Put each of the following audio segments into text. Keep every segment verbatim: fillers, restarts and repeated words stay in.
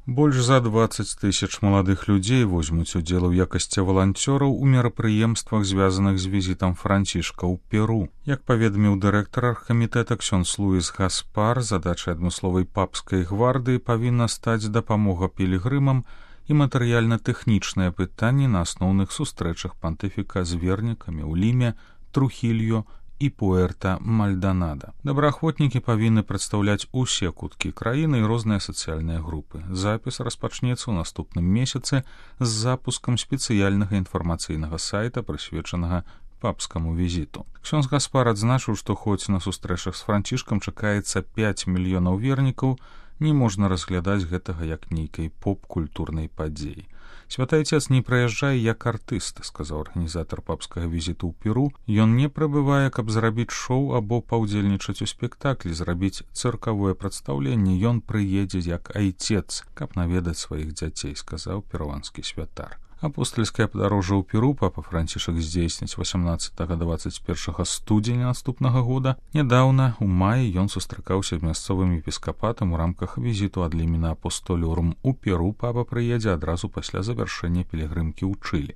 Больш за дваццаць тысяч маладых людзей возьмуць удзел у якасці валанцёраў у мерапрыемствах, звязаных з візітам Францішка ў Перу. Як паведаміў дырэктар аргкамітэта ксёндз Луіс Гаспар, задачай адмысловай папскай гвардыі павінна стаць дапамога пілігрымам і матэрыяльна-тэхнічныя пытанні на асноўных сустрэчах пантыфіка з вернікамі ў Ліме, Трухільо і Пуэрта-Мальданада. Добраахвотнікі павінны прадстаўляць усе куткі краіны і розныя сацыяльныя групы. Запіс распачнецца ў наступным месяцы з запускам спецыяльнага інфармацыйнага сайта, прысвечанага папскаму візіту. Ксёндз Гаспар адзначыў, што хоць на сустрэчах з Францішкам чакаецца пяць мільёнаў вернікаў, не можна разглядаць гэтага як нейкай поп-культурнай падзеі. Святы Айцец не прыязджае як артыст, сказаў арганізатар папскага візіту ў Перу. Ён не прыбывае, каб зрабіць шоу або паўдзельнічаць у спектаклі, зрабіць цыркавое прадстаўленне. Ён прыедзе як айцец, каб наведаць сваіх дзяцей, сказаў перуанскі святар. Апостальскае падарожжа ў Перу папа Францішак здзейсніць васямнаццатага дваццаць першага студзеня наступнага года. Нядаўна, у маі, ён сустракаўся з мясцовым епіскапатам у рамках візіту ад Лімена Апостоліорум у Перу. Папа прыедзе адразу пасля завяршэння пілігрымкі ў Чылі.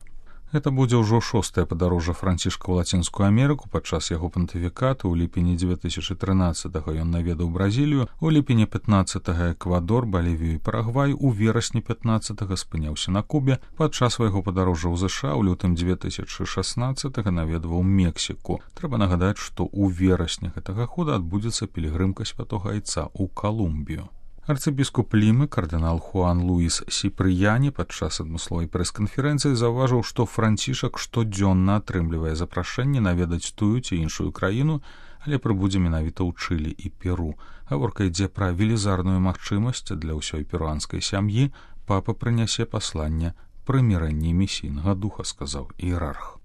Гэта будзе ўжо шостае падарожжа Францішка ў Лацінскую Амерыку. Падчас яго пантыфікату ў ліпені дзве тысячы трынаццатага ён наведаў Бразілію, у ліпені пятнаццатага Эквадор, Балівію і Парагвай, у верасні пятнаццатага спыняўся на Кубе. Падчас свайго падарожжа ў ЗША ў лютым дзве тысячы шаснаццатага наведваў Мексіку. Трэба нагадаць, што ў верасні гэтага года адбудзецца пілігрымка святога Айца ў Калумбію. Арцыбіскуп Лімы, кардынал Хуан Луіс Сіпрыяні, падчас адмысловай прэс-канферэнцыі заўважыў, што Францішак штодзённа атрымлівае запрашэнне наведаць тую ці іншую краіну, але прыбудзе менавіта ў Чылі і Перу. Гаворка ідзе пра велізарную магчымасць для ўсёй перуанскай сям'і. Папа прынясе пасланне прымірэння місійнага духа, сказаў іерарх.